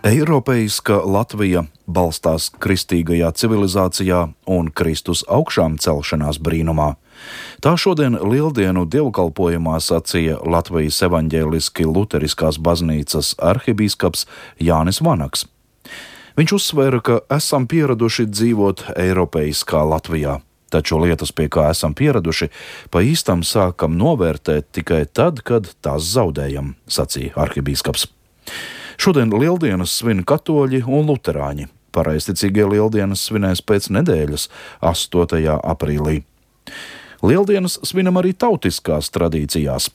Eiropeiska Latvija balstās kristīgajā civilizācijā un Kristus augšām celšanās brīnumā. Tā šodien Lieldienu dievkalpojumā sacīja Latvijas evaņģēliski luteriskās baznīcas arhibīskaps Jānis Vanaks. Viņš uzsvēra, ka esam pieraduši dzīvot eiropeiskā Latvijā, taču lietas, pie kā esam pieraduši, pa īstam sākam novērtēt tikai tad, kad tās zaudējam, sacīja arhibīskaps. Šodien Lieldienas svin katoļi un luterāņi. Pareizticīgie Lieldienas svinēs pēc nedēļas, 8. aprīlī. Lieldienas svinam arī tautiskās tradīcijās.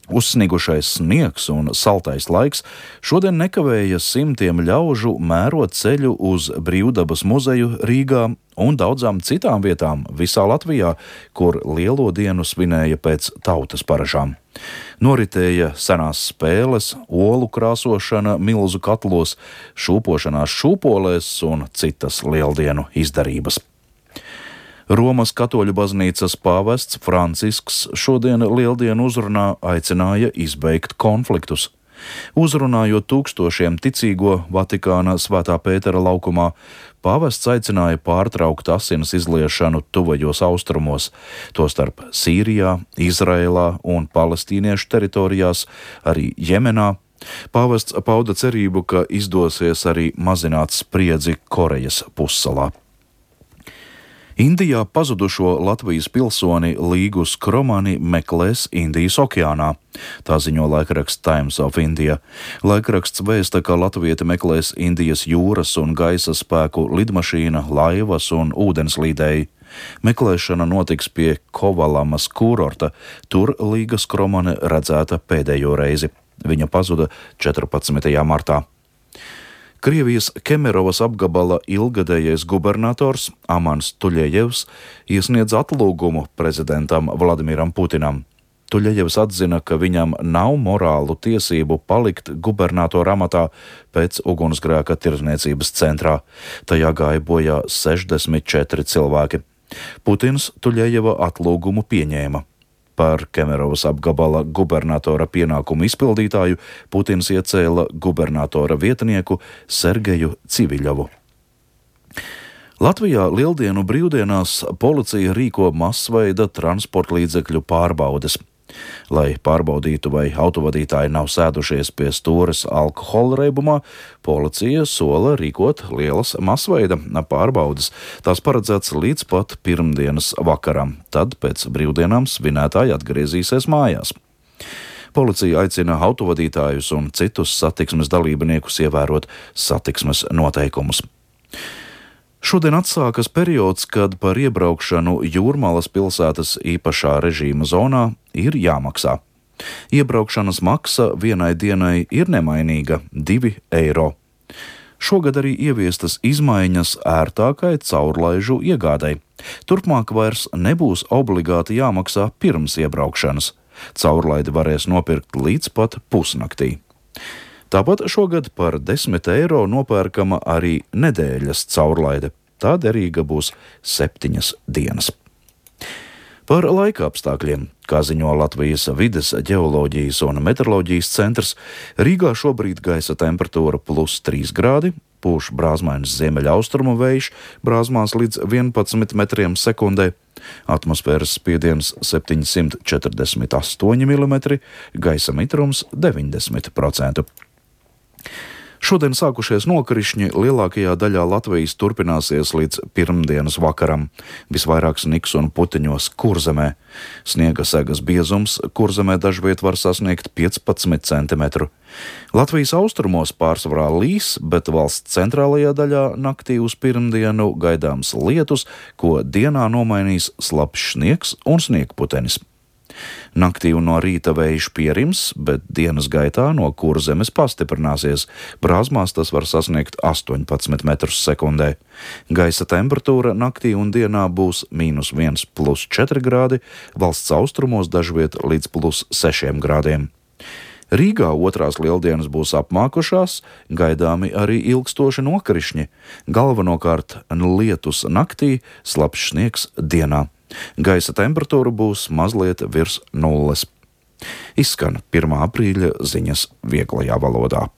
Uzsnigušais sniegs un saltais laiks šodien nekavēja simtiem ļaužu mērot ceļu uz Brīvdabas muzeju Rīgā un daudzām citām vietām visā Latvijā, kur Lielo dienu svinēja pēc tautas paražām. Noritēja senās spēles, olu krāsošana milzu katlos, šūpošanās šūpolēs un citas lieldienu izdarības. Romas katoļu baznīcas pāvests Francisks šodien Lieldienu uzrunā aicināja izbeigt konfliktus. Uzrunājot tūkstošiem ticīgo Vatikāna Svētā Pētera laukumā, pāvests aicināja pārtraukt asinas izliešanu tuvajos austrumos, tostarp Sīrijā, Izraēlā un palestīniešu teritorijās, arī Jemenā. Pāvests pauda cerību, ka izdosies arī mazināt spriedzi Korejas pussalā. Indijā pazudušo Latvijas pilsoni Līgu Skromani meklēs Indijas okeānā. Tā ziņo laikraksts Times of India. Laikraksts vēsta, ka latvieti meklēs Indijas jūras un gaisa spēku lidmašīna, laivas un ūdenslīdēji. Meklēšana notiks pie Kovalamas kurorta. Tur Līga Skromane redzēta pēdējo reizi. Viņa pazuda 14. martā. Krievijas Kemerovas apgabala ilgadējais gubernators Amans Tuļejevs iesniedz atlūgumu prezidentam Vladimiram Putinam. Tuļejevs atzina, ka viņam nav morālu tiesību palikt gubernatora amatā pēc ugunsgrēka tirdzniecības centrā. Tajā gāja bojā 64 cilvēki. Putins Tuļejeva atlūgumu pieņēma. Par Kemerovas apgabala gubernatora pienākumu izpildītāju Putins iecēla gubernatora vietnieku Sergeju Civiļovu. Latvijā Lieldienu brīvdienās policija rīko masveida transportlīdzekļu pārbaudes. Lai pārbaudītu, vai autovadītāji nav sēdušies pie stūres alkohola reibumā, policija sola rīkot lielas masveida pārbaudes. Tās paredzēts līdz pat pirmdienas vakaram, tad pēc brīvdienām svinētāji atgriezīsies mājās. Policija aicina autovadītājus un citus satiksmes dalībniekus ievērot satiksmes noteikumus. Šodien atsākas periods, kad par iebraukšanu Jūrmalas pilsētas īpašā režīma zonā ir jāmaksā. Iebraukšanas maksa vienai dienai ir nemainīga – 2 eiro. Šogad arī ieviestas izmaiņas ērtākai caurlaižu iegādei. Turpmāk vairs nebūs obligāti jāmaksā pirms iebraukšanas. Caurlaidi varēs nopirkt līdz pat pusnaktī. Tāpat šogad par 10 eiro nopērkama arī nedēļas caurlaide. Tā derīga būs 7 dienas. Par laika apstākļiem, kā ziņo Latvijas vides, ģeoloģijas un meteoroloģijas centrs, Rīgā šobrīd gaisa temperatūra +3 grādi, pūš brāzmains ziemeļaustrumu vējš, brāzmās līdz 11 metriem sekundē, atmosfēras spiediens 748 mm, gaisa mitrums 90%. Šodien sākušies nokrišņi lielākajā daļā Latvijas turpināsies līdz pirmdienas vakaram. Visvairāk sniks un puteņos Kurzemē. Sniega segas biezums Kurzemē dažviet var sasniegt 15 cm. Latvijas austrumos pārsvarā līs, bet valsts centrālajā daļā naktī uz pirmdienu gaidāms lietus, ko dienā nomainīs slapjš sniegs un sniegputenis. Naktī un no rīta vējš pierims, bet dienas gaitā no Kurzemes pastiprināsies. Brāzmās tas var sasniegt 18 metrus sekundē. Gaisa temperatūra naktī un dienā būs -1 +4 grādi, valsts austrumos dažviet līdz +6 grādiem. Rīgā otrās lieldienas būs apmākušās, gaidāmi arī ilgstoši nokrišņi. Galvenokārt lietus naktī, slapjš sniegs dienā. Gaisa temperatūra būs mazliet virs nulles. Izskan 1. aprīļa ziņas vieglajā valodā.